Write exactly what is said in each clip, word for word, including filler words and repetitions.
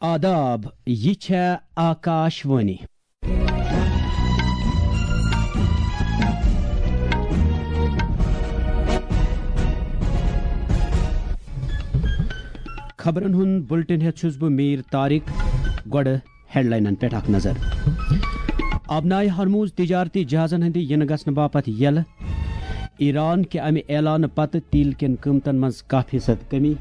آداب، یہِ چھےٚ آکاش وانی۔ خبرن ہُنٛد بُلٹن ہٮ۪تھ چھُس بہٕ میٖر طارق۔ گۄڈٕ ہیڈلاینن پٮ۪ٹھ اکھ نظر۔ آبنائے ہرموز تجارتی جہازن ہٕنٛدِ یِنہٕ گژھنہٕ باپتھ یلہٕ۔ ایران کہِ امہِ اعلانہٕ پتہٕ تیل کٮ۪ن قۭمتن منٛز کاہ فیصد کمی۔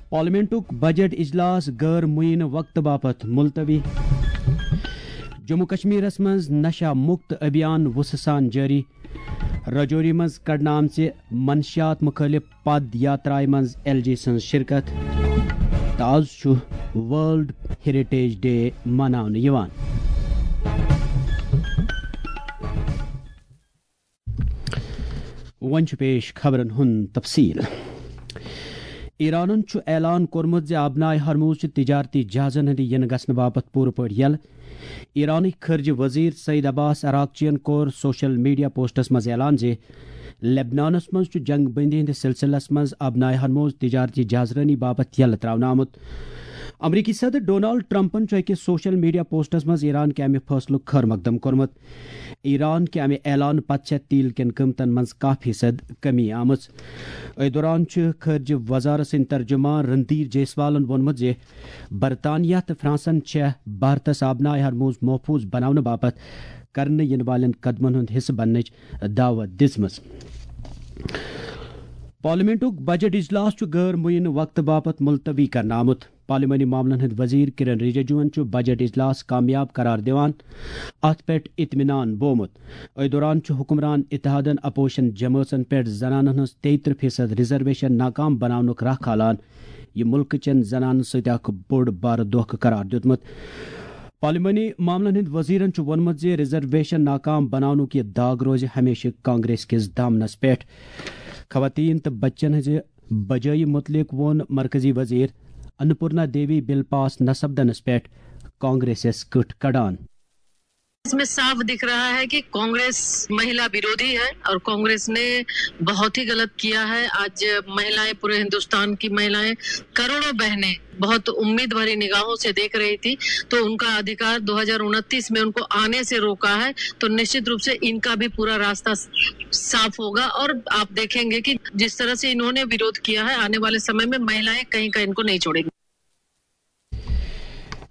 پارلیمنٹُک بجٹ اجلاس غٲر معینہٕ وقتہٕ باپتھ ملتوی۔ جموں کشمیرس منٛز نشہ مکت ابھیان وُسہٕ سان جٲری۔ رجوری منٛز کڑنہٕ آمژِ منشیات مُخٲلف پد یاترایہِ منٛز ایل جی سٕنٛز شرکت۔ تہٕ آز چھُ ورلڈ ہیریٹیج ڈے مناونہٕ یِوان۔ وۄنۍ چھُ پیش خبرن ہُنٛد تفصیل۔ ایرانن چھُ اعلان کوٚرمُت زِ آبنائے ہرموز چھِ تجارتی جہازن ہٕنٛدِ یِنہٕ گژھنہٕ باپتھ پوٗرٕ پٲٹھۍ یلہٕ۔ ایرانٕکۍ خارجہ وزیر سعید عباس عراقچین کوٚر سوشل میڈیا پوسٹس منٛز اعلان زِ لبنانس منٛز چھُ جنگ بندی ہٕنٛدِس سلسلس منٛز آبنائے ہرموز تجارتی جہازرٲنی باپتھ یلہٕ تراونہٕ آمُت۔ امریکی صدر ڈونالڈ ٹرمپن چھُ أکِس سوشل میڈیا پوسٹس منٛز ایران کہِ امہِ فٲصلُک خٲر مقدم کوٚرمُت۔ ایران کہِ امہِ اعلان پتہٕ چھےٚ تیل کٮ۪ن قۭمتن منٛز کاہ فیصد کمی آمٕژ۔ أتھۍ دوران چھُ خارجہ وزارت سٕنٛدۍ ترجمان رندیر جیسوالن ووٚنمُت زِ برطانیہ تہٕ فرانسن چھےٚ بھارتس آبنائے ہرموز محفوظ بناونہٕ باپتھ کرنہٕ یِنہٕ والٮ۪ن قدمن ہُنٛد حصہٕ بننٕچ دعوت دِژمٕژ۔ پارلیمنٹُک بجٹ اجلاس چھُ غٲر معینہٕ وقتہٕ باپتھ ملتوی کرنہٕ آمُت۔ پارلیمانی معاملن ہٕنٛدۍ وزیر کرن رجیجوَن چھُ بجٹ اجلاس کامیاب قرار دِوان اتھ پٮ۪ٹھ اطمینان بومُت۔ أتھۍ دوران چھُ حکمران اتحادن اپوزیشن جمٲژن پٮ۪ٹھ زنانن ہٕنٛز تیٚیہِ ترٕٛہ فیصد ریزرویشن ناکام بناونُک راہ کھالان۔ یہِ مُلکہٕ چٮ۪ن زنانن سۭتۍ اکھ بوٚڑ بارٕ دھوکہٕ قرار دیُتمُت۔ پارلیمانی معاملن ہٕنٛدۍ وزیرن چھُ ووٚنمُت زِ ریزرویشن ناکام بناونُک یہِ داغ روزِ ہمیشہٕ کانگریس کِس دامنس پٮ۪ٹھ۔ خواتین تہٕ بچن ہٕنٛزِ بجٲیی متعلق ووٚن مرکزی وزیر انپورنا دیوی بل پاس نہ سپدنس پٮ۪ٹھ کانگریسس کٕٹھ کڑان۔ इसमें साफ दिख रहा है कि कांग्रेस महिला विरोधी है और कांग्रेस ने बहुत ही गलत किया है। आज महिलाएं, पूरे हिंदुस्तान की महिलाएं, करोड़ों बहनें बहुत उम्मीद भरी निगाहों से देख रही थी, तो उनका अधिकार दो हज़ार उनतीस में उनको आने से रोका है, तो निश्चित रूप से इनका भी पूरा रास्ता साफ होगा और आप देखेंगे कि जिस तरह से इन्होंने विरोध किया है, आने वाले समय में महिलाएं कहीं का इनको नहीं छोड़ेंगी।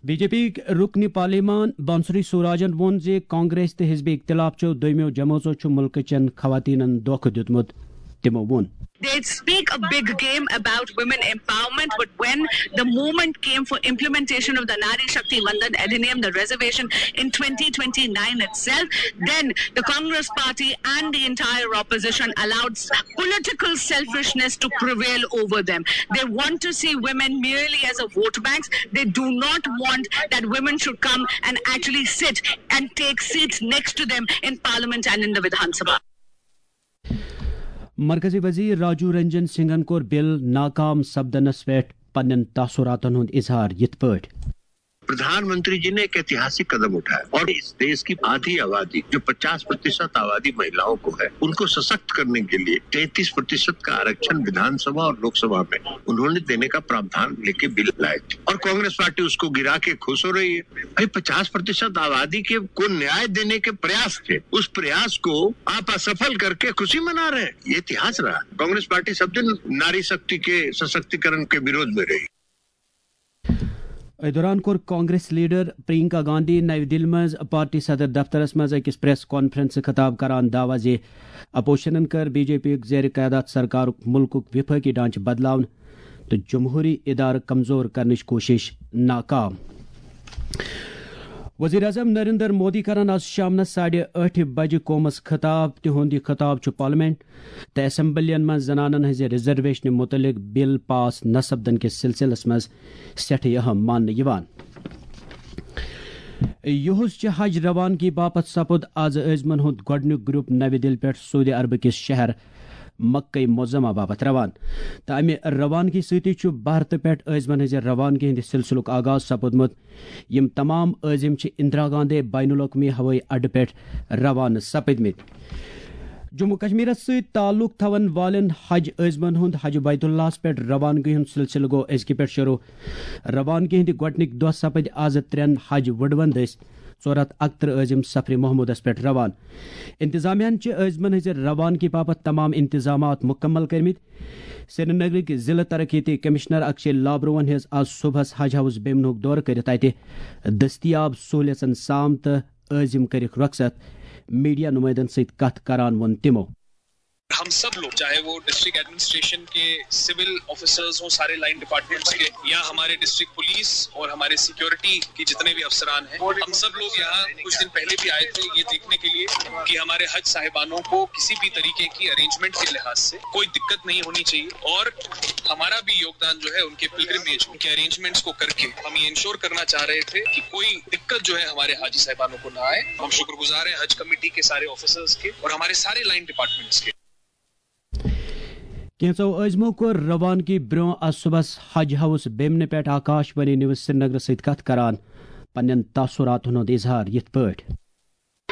بی جے پی یِکۍ رُکنہِ پارلیمان بنسری سوراجن ووٚن زِ کانگریس تہٕ حزب اختلاف چٮ۪و دوٚیمٮ۪و جمٲژو چھُ مُلکہٕ چٮ۪ن خواتیٖنَن دھوکہٕ دیُتمُت۔ تِمو ووٚن۔ They speak a big game about women empowerment, but when the movement came for implementation of the Nari Shakti Vandan Adhiniyam, the reservation in twenty twenty-nine itself, then the Congress party and the entire opposition allowed political selfishness to prevail over them. They want to see women merely as a vote banks. They do not want that women should come and actually sit and take seats next to them in parliament and in the Vidhan Sabha. مرکزی وزیر راجو رنجن سنگھن کوٚر بل ناکام سپدنس پٮ۪ٹھ پننٮ۪ن تاثراتن ہُنٛد اظہار یِتھ پٲٹھۍ۔ प्रधानमंत्री जी ने एक ऐतिहासिक कदम उठाया और इस देश की आधी आबादी, जो पचास प्रतिशत आबादी महिलाओं को है, उनको सशक्त करने के लिए तैंतीस प्रतिशत का आरक्षण विधानसभा और लोकसभा में उन्होंने देने का प्रावधान लेके बिल लाए थे और कांग्रेस पार्टी उसको गिरा के खुश हो रही है। भाई, पचास प्रतिशत आबादी के को न्याय देने के प्रयास थे, उस प्रयास को आप असफल करके खुशी मना रहे हैं। ये इतिहास रहा। कांग्रेस पार्टी सब दिन नारी शक्ति के सशक्तिकरण के विरोध में रही। أتھۍ دوران کوٚر کانگریس لیڈر پرینکا گاندھی نَوِ دِلہِ منٛز پارٹی صدر دفترس منٛز أکِس پریس کانفرنسہٕ خطاب کران دعویٰ زِ اپوزیشنن کٔر بی جے پی یُک زیر قیادت سرکارُک مُلکُک وفٲقی ڈھانچہٕ بدلاونہٕ تہٕ جمہوری ادارٕ کمزور کرنٕچ کوٗشش ناکام۔ وزیر اعظم نریندر مودی کرن آز شامنس ساڑِ ٲٹھِ بجہِ قومس خطاب۔ تِہُنٛد یہِ خطاب چھُ پارلیمنٹ تہٕ اسمبلین منٛز زنانن ہٕنٛزِ ریزرویشنہِ مُتعلق بل پاس نہ سپدن کِس سلسلس منٛز سٮ۪ٹھٕے اہم ماننہٕ یِوان۔ یُہُس چہِ حج روانگی باپتھ سپُد آز عٲزمن ہُنٛد گۄڈٕنیُک گروپ نَوِ دِلہِ پٮ۪ٹھ سعودی عربہٕ کِس شہر مکہ معظمہ باپتھ روان تہٕ امہِ روانگی سۭتی چھُ بھارتہٕ پٮ۪ٹھ عٲزمن ہٕنٛزِ روانگی ہٕنٛدِ سلسلُک آغاز سپُدمُت۔ یِم تمام عٲزم چھِ اندرا گاندھی بین الاقوٲمی ہوٲیی اڈٕ پٮ۪ٹھ روانہٕ سپٕدمٕتۍ۔ جموں کشمیرس سۭتۍ تعلق تھاون والٮ۪ن حج عٲزمن ہُنٛد حج بیت اللہس پٮ۪ٹھ روانگی ہُنٛد سلسلہٕ گوٚو أزکہِ پٮ۪ٹھ شروع۔ روانگی ہٕنٛدِ گۄڈٕنِکۍ دۄہ سپٕدۍ آز ترٛٮ۪ن حج وُڈوَن دٔسۍ ژور ہتھ اکترٕہ عٲزم سفرِ محمودس پٮ۪ٹھ روان۔ انتظامیہ ہن چھِ عٲزمن ہٕنٛزِ روانگی باپتھ تمام انتظامات مکمل کٔرمٕتۍ۔ سرینگرٕکۍ ضلع ترقیتی کمشنر اکشے لابروہن ہیٚژ آز صبحس حج ہاؤس بیمنُک دورٕ کٔرِتھ اتہِ دٔستیاب سہولیژن سام تہٕ عٲزم کٔرِکھ رۄخصت۔ میڈیا نمائندن سۭتۍ کتھ کران ووٚن تِمو۔ ہم سب لوگ، چاہے وہ ڈسٹرکٹ ایڈمنسٹریشن کے سول آفیسرز ہوں، سارے لائن ڈپارٹمنٹس کے، یا ہمارے ڈسٹرکٹ پولیس اور ہمارے سیکیورٹی کے جتنے بھی افسران ہیں، ہم سب لوگ یہاں کچھ دن پہلے بھی آئے تھے یہ دیکھنے کے لیے کہ ہمارے حج صاحبانوں کو کسی بھی طریقے کی ارینجمنٹ کے لحاظ سے کوئی دقت نہیں ہونی چاہیے، اور ہمارا بھی یوگدان جو ہے ان کے پلگرمیج کے ارینجمنٹس کو کر کے ہم یہ انشور کرنا چاہ رہے تھے کہ کوئی دقت جو ہے ہمارے حاجی صاحبانوں کو نہ آئے۔ ہم شکر گزار ہیں حج کمیٹی کے سارے آفیسرز کے اور ہمارے سارے لائن ڈپارٹمنٹس کے۔ کینٛژو عٲزمو کوٚر روانگی برٛونٛہہ آز صُبحس حج ہاؤس بیمنہِ پٮ۪ٹھ آکاش وانی نیوز سرینگرس سۭتۍ کتھ کران پننٮ۪ن تاثراتن ہُنٛد اظہار یِتھ پٲٹھۍ۔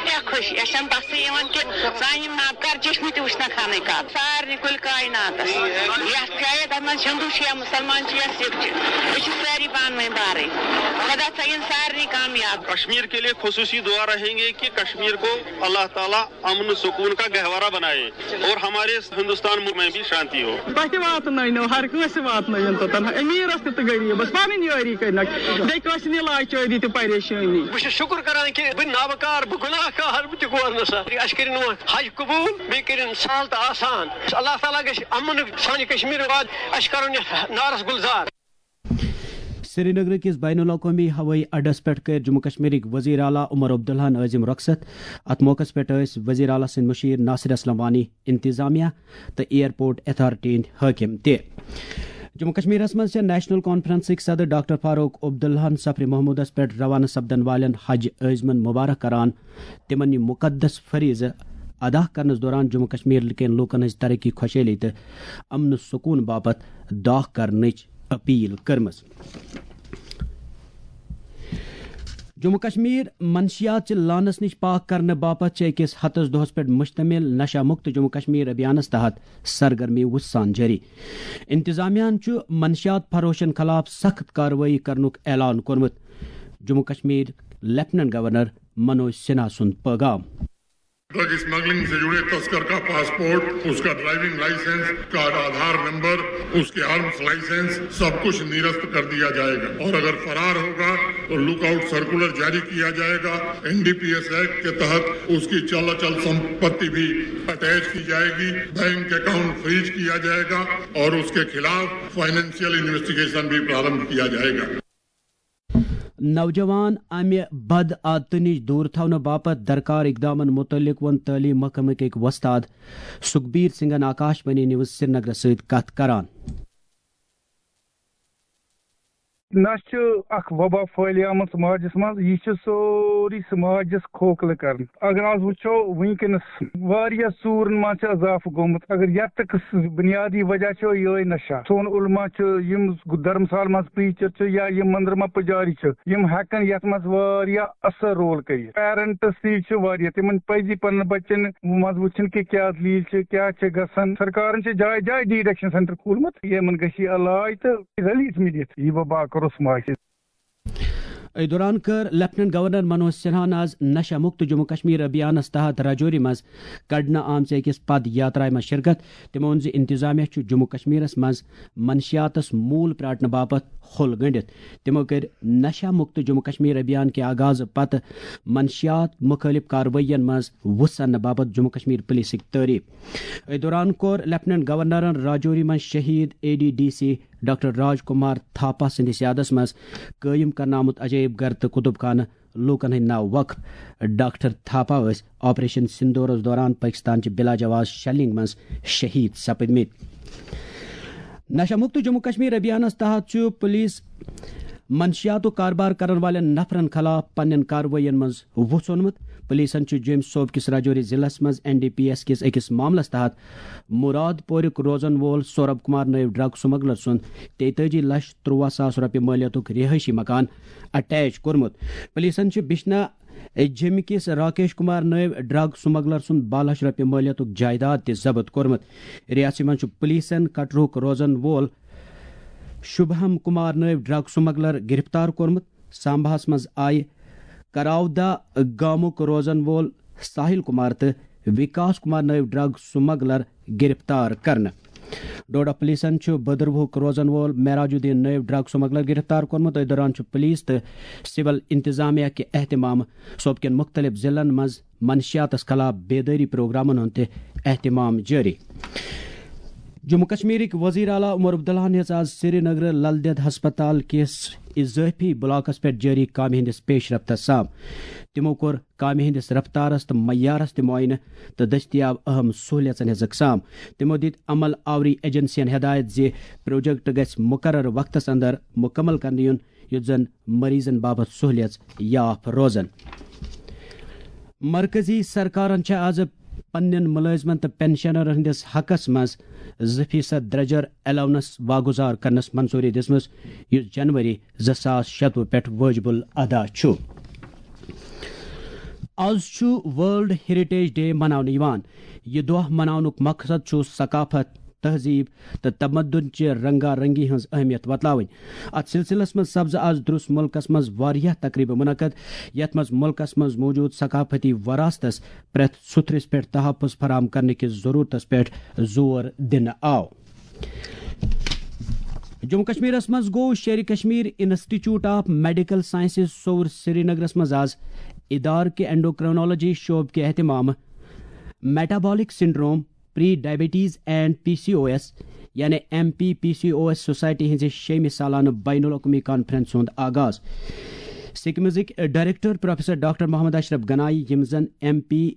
کیٛاہ خوشی، اَسہِ چھَنہٕ بَسٕے یِوان کہِ سانہِ یِم نابکار چشمہٕ تہِ وٕچھنَکھ ہنٕے کَتھ۔ سارنٕے کُلہِ کایناتَس، یَتھ جایہِ تَتھ منٛز ہِندوٗ چھِ یا مُسلمان چھِ یا سِکھ چھِ، أسۍ چھِ سٲری پانہٕ ؤنۍ بارٕے۔ خۄدا تھٲیِن سارنٕے کامیاب۔ کشمیر کے لیے خصوصی دعا رہیں گے کہ کشمیر کو اللہ تعالیٰ امن سکون کا گہوارہ بنائے اور ہمارے ہندوستان میں بھی شانتی ہو۔ تۄہہِ تہِ واتنٲونو، ہر کٲنٛسہِ واتنٲوِن توٚتن، أمیٖرس تہِ تہٕ غریٖبس، پنٕنۍ یٲری کٔرنکھ، بیٚیہِ کٲنٛسہِ نہٕ لاچٲری تہٕ پریشٲنی۔ بہٕ چھُس شُکُر کران کہِ بہٕ نابکار، بہٕ گُناہ گار، بہٕ تہِ گوس نہٕ سا۔ اَسہِ کٔرِن وۄنۍ حج قبوٗل، بیٚیہِ کٔرِن سہل تہٕ آسان۔ اللہ تعالیٰ گژھِ امنُک سانہِ کشمیٖر واد، اَسہِ کرُن یَتھ نارس گُلزار۔ سرینگر کِس بین الاقوٲمی ہوٲیی اڈس پٮ۪ٹھ کٔرۍ جموں کشمیرٕکۍ وزیر اعلیٰ عمر عبداللہن عٲزم رۄخصت۔ اتھ موقعس پٮ۪ٹھ ٲسۍ وزیر اعلیٰ سٕنٛدۍ مُشیر ناصر اسلم وانی، انتظامیہ تہٕ ایئرپورٹ اتھارٹی ہٕنٛدۍ حٲکم تہِ۔ جموں کشمیرس منٛز چھےٚ نیشنل کانفرنسٕکۍ صدر ڈاکٹر فاروق عبداللہن سفرِ محمودس پٮ۪ٹھ روانہٕ سپدن والٮ۪ن حج عٲزمن مبارک کران۔ تِمن یہِ مقدس فریضہٕ ادا کرنس دوران جموں کشمیر کٮ۪ن لوٗکن ہٕنٛز ترقی، خۄشحٲلی تہٕ امن سکون باپتھ دعا کرنٕچ اپیل کٔرمٕژ۔ جموں کشمیر منشیات چہِ لعنس نِش پاک کرنہٕ باپتھ چھِ أکِس ہتس دۄہس پٮ۪ٹھ مشتمل نشہ مکت جموں کشمیر ابھیانس تحت سرگرمی وُژھ سان جٲری۔ انتظامیہ ہن چھُ منشیات فروشن خلاف سخت کاروٲیی کرنُک اعلان کوٚرمُت۔ جموں کشمیر لیفٹیننٹ گورنر منوج سنہا سُنٛد پیغام۔ ڈرگ اسمگلنگ سے جڑے تسکر کا پاسپورٹ، اس کا ڈرائیونگ لائسنس، اس کا آدھار نمبر، اس کے آرمز لائسنس، سب کچھ نرست کر دیا جائے گا، اور اگر فرار ہوگا تو لک آؤٹ سرکولر جاری کیا جائے گا۔ N D P S act کے تحت اس کی چل اچل سمپتی بھی اٹیچ کی جائے گی، بینک اکاؤنٹ فریز کیا جائے گا اور اس کے خلاف فائنینشیل انویسٹیگیشن بھی پرارمبھ کیا جائے گا۔ نوجوان امہِ بد عادتہٕ نِش دوٗر تھاونہٕ باپتھ درکار اقدامن مُتعلق ووٚن تعلیٖم محکمٕکۍ أکۍ وۄستاد سُکھبیر سنگھن آکاش وانی نیوز سرینگرس سۭتۍ کتھ کران۔ نشہٕ چھُ اکھ وبا پھٲلیمٕژ سماجس منٛز، یہِ چھُ سورُے سماجس کھوکھلہٕ کران۔ اگر آز وٕچھو وٕنکیٚنس واریاہ ژوٗرن منٛز چھُ اضافہٕ گوٚمُت، اگر یتھ تہٕ بنیادی وجہ چھُ یِہوٚے نشہ۔ سون علما چھُ، یِم دھرمسال منٛز پریچر چھِ یا یِم مندر منٛز پجاری چھِ، یِم ہٮ۪کن یتھ منٛز واریاہ اثر رول کٔرِتھ۔ پیرنٹس تہِ چھِ واریاہ، تِمن پزِ پننٮ۪ن بچن منٛز وٕچھُن کہِ کیٛاہ دلیل چھِ، کیٛاہ چھِ گژھان۔ سرکارن چھِ جایہِ جایہِ ڈی ایڈکشن سینٹر کھولمُت، یِمن گژھِ یہِ علاج تہٕ ریلیف میلِتھ۔ یہِ وبا کرو سماجس۔ أتھۍ دوران کٔر لیفٹیننٹ گورنر منوج سنہاہن آز نشہ مکت جموں کشمیر ابھیانس تحت راجوری منٛز کڑنہٕ آمژِ أکِس پد یاترایہِ منٛز شرکت۔ تٔمۍ ووٚن زِ انتظامیہ چھُ جموں کشمیرس منٛز منشیاتس موٗل پرٛاٹنہٕ باپتھ ہوٚل گٔنٛڈِتھ۔ تِمو کٔرۍ نشہ مکت جموں کشمیر ابھیان کہِ آغازٕ پتہٕ منشیات مُخٲلف کاروٲیین منٛز وُژھ اننہٕ باپتھ جموں کشمیر پولیسٕکۍ تعریف۔ أتھۍ دوران کوٚر لیفٹیننٹ گورنرن راجوری منٛز شہید A D D C doctor Raj Kumar Thapa سٕنٛدِس یادس منٛز قٲیِم کرنہٕ آمُت عجٲیب گھر تہٕ کُتُب خانہٕ لوٗکن ہٕنٛدۍ ناو وقف۔ ڈاکٹر تھاپا ٲسۍ آپریشن سندورس دوران پٲکستان چہِ بلا جواز شیلنگ منٛز شہید سپٕدمٕتۍ۔ نشہ مکت جموں کشمیر ابھیانس تحت چھُ پولیس منشیاتُک کاربار کرن والٮ۪ن نفرن خلاف پننٮ۪ن کاروٲیین منٛز وُژھ اوٚنمُت۔ پولیسن چھُ جوٚمۍ صوبہٕ کِس راجوری ضلعس منٛز این ڈی پی ایس کِس أکِس معاملس تحت مراد پورُک روزن وول سورب کمار نٲوۍ ڈرگ سمگلر سُنٛد تیتٲجی لچھ ترٛواہ ساس رۄپیہِ مٲلیتُک رہٲیشی مکان اٹیچ کوٚرمُت۔ پولیسن چھِ بشنا جیٚمہِ کِس راکیش کمار نٲوۍ ڈرگ سمگلر سُنٛد باہ لچھ رۄپیہِ مٲلیتُک جائیداد تہِ ضبط کوٚرمُت۔ ریاسی منٛز چھُ پولیسَن کٹرُک روزن وول شُبہم کمار نٲوۍ ڈرگ سمگلر گرفتار کوٚرمُت۔ سامباہَس منٛز آیہِ کراودا گامُک روزن وول ساحل کمار تہٕ وکاس کمار نٲوۍ ڈرگ سمگلر گرفتار کرنہٕ۔ ڈوڈا پولیسَن چھُ بھدروہُک روزن وول معراج الدین نٲوۍ ڈرگ سمگلر گرفتار کوٚرمُت۔ أتھۍ دوران چھُ پولیس تہٕ سول انتظامیہ کہِ اہتمام صوبہٕ کٮ۪ن مُختٔلِف ضلعن منٛز منشیاتس خلاف بیدٲری پروگرامن ہُنٛد تہِ اہتمام جٲری۔ جموں کشمیرٕکۍ وزیر اعلیٰ عمر عبداللہ ہَن ہیٚژ آز سری نگرٕ لل دٮ۪د ہسپتال کِس اضٲفی بلاکس پٮ۪ٹھ جٲری کامہِ ہٕنٛدِس پیش رفتس سام۔ تِمو کوٚر کامہِ ہٕنٛدِس رفتارس تہٕ معیارس تہِ معائنہٕ تہٕ دٔستیاب اہم سہولیژن ہٕنٛز اقسام۔ تِمو دِتۍ عمل آوری ایجنسین ہدایت زِ پروجیکٹ گژھِ مقرر وقتس اندر مکمل کرنہٕ یُن، یُتھ زن مریضن باپتھ سہولیژ یاف روزن۔ مرکزی سرکارن چھےٚ آز پننٮ۪ن ملٲزمن تہٕ پنشنرن ہٕنٛدِس حقس منٛز زٕ فیصد درجر الاونس واگُزار کرنس منظوری دِژمٕژ، یُس جنوری زٕ ساس شتوُہ پٮ۪ٹھ وٲجِب الادا چھُ۔ آز چھُ ورلڈ ہیریٹیج ڈے مناونہٕ یِوان۔ یہِ دۄہ مناونُک مقصد چھُ ثقافت، تہذیب تہٕ تمدن چہِ رنگا رنگی ہٕنٛز اہمیت وۄتلاوٕنۍ۔ اتھ سلسلس منٛز سپزٕ آز درُس مُلکس منٛز واریاہ تقریبہٕ منعقد، یتھ منٛز مُلکس منٛز موجود ثقافتی وراثتس پرٛٮ۪تھ سُتھرِس پٮ۪ٹھ تحفظ فراہم کرنہٕ کِس ضرورتس پٮ۪ٹھ زور دِنہٕ آو۔ جموں کشمیرس منٛز گوٚو Sher-i Kashmir institute of medical sciences سوٚوُر سرینگرس منٛز آز ادارٕ کہِ اینڈوکرینالوجی شعبہٕ کہِ اہتمامہٕ metabolic syndrome, prediabetes and P C O S, یعنی M P P C O S society ہٕنٛزِ شیٚیمہِ سالانہٕ بین الاقوٲمی کانفرنس ہُنٛد آغاز۔ سکمزٕکۍ director professor doctor Mohammad Ashraf Ganai, یِم زن M P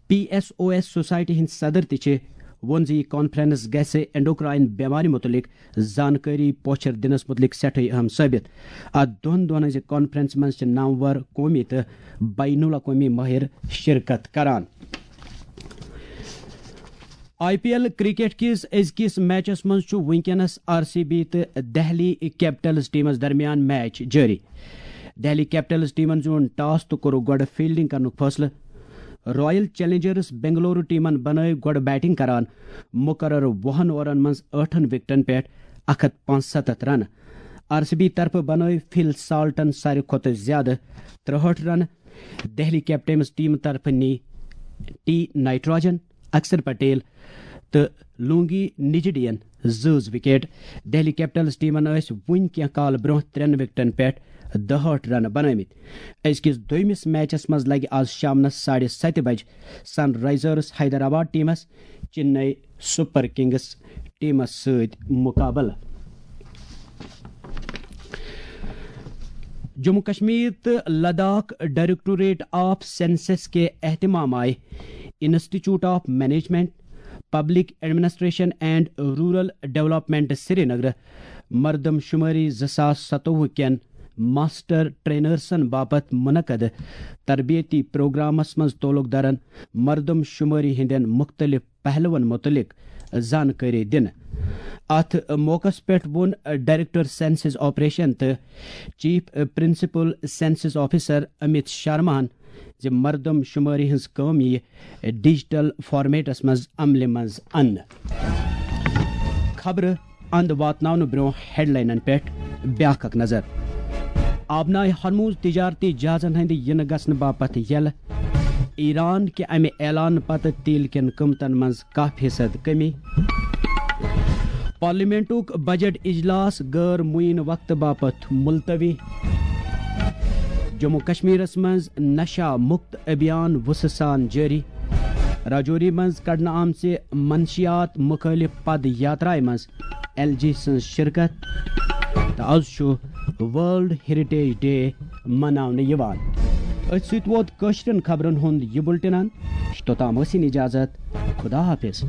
P S O S society ہٕنٛدۍ صدر تہِ چھِ، ووٚن زِ یہِ کانفرنس گژھِ اینڈوکراین بیمارِ مُتعلق زانکٲری پوچھر دِنس مُتعلق سٮ۪ٹھٕے اہم ثٲبت۔ اتھ دۄن دۄہن ہٕنٛزِ کانفرنسہِ منٛز چھِ نامور قومی تہٕ بین الاقوٲمی مٲہِر شرکت کران۔ آئی پی ایل کرکٹ کِس أزکِس میچس منٛز چھُ وٕنکیٚنس آر سی بی تہٕ دہلی کیپٹلز ٹیمس درمیان میچ جٲری۔ دہلی کیپٹلز ٹیمن زیوٗن ٹاس تہٕ کوٚرُکھ گۄڈٕ فیلڈنگ کرنُک فٲصلہٕ۔ رائل چیلنجرز بنگلورو ٹیمن بنٲوۍ گۄڈٕ بیٹنگ کران مقرر وُہن اوورن منٛز ٲٹھن وکٹن پٮ۪ٹھ اکھ ہتھ پانٛژستتھ رنہٕ۔ آر سی بی طرفہٕ بنٲوۍ فل سالٹن ساروی کھۄتہٕ زیادٕ ترٛہٲٹھ رنہٕ۔ دہلی کیپٹلز ٹیمہٕ طرفہٕ نی ٹی نائٹروجن، اکشر پٹیل تہٕ لونگی نجڈین زٕ زٕ وکٹ۔ دہلی کیپٹلز ٹیمن ٲسۍ وُنہِ کینٛہہ کال برونٛہہ ترٛٮ۪ن وکٹن پٮ۪ٹھ دُہٲٹھ رنہٕ بنٲومٕتۍ۔ أزکِس دوٚیمِس میچس منٛز لگہِ آز شامنس ساڑِ ستہِ بجہِ سن رائزرز حیدرآباد ٹیمس چنئی سپر کنگز ٹیمس سۭتۍ مقابلہٕ۔ جموں کشمیر تہٕ لداخ ڈائریکٹوریٹ آف سینسس کے اہتمام آیہِ institute of management, public administration and rural development Srinagar مردم شماری زٕ ساس ستووُہ کٮ۪ن ماسٹر ٹرینرسن باپتھ منعقد تربیتی پروگرامس منٛز تعلق دارن مردم شماری ہٕنٛدٮ۪ن مُختٔلِف پہلوَن مُتعلِق زانکٲری دِنہٕ۔ اَتھ موقعَس پٮ۪ٹھ ووٚن ڈائریکٹر سینسس آپریشن تہٕ chief principal census officer Amit شرماہن زِ مردم شمٲری ہٕنٛز کٲم یِیہِ ڈیجیٹل فارمیٹس منٛز عملہِ منٛز اننہٕ۔ خبرٕ اند واتناونہٕ برونٛہہ ہیڈلاینن پٮ۪ٹھ بیاکھ اکھ نظر۔ آبنائے ہرموز تجارتی جہازن ہٕنٛدِ یِنہٕ گژھنہٕ باپتھ یلہٕ۔ ایران کہِ امہِ اعلان پتہٕ تیل کٮ۪ن قۭمتن منٛز کاہ فیصد کمی۔ پارلیمنٹُک بجٹ اجلاس غٲر معین وقتہٕ باپتھ ملتوی۔ جموں کشمیرس منٛز نشہ مکت ابھیان وُژھٕ سان جٲری۔ راجوری منٛز کڑنہٕ آمژِ منشیات مخالف پد یاترایہِ منٛز ایل جی سٕنٛز شرکت۔ تہٕ از چھُ ورلڈ ہیریٹیج ڈے مناونہٕ یِوان۔ أتھۍ سۭتۍ ووت کٲشرٮ۪ن خبرن ہُنٛد یہِ بُلٹن اند۔ توٚتام ٲسِن اجازت۔ خدا حافظ۔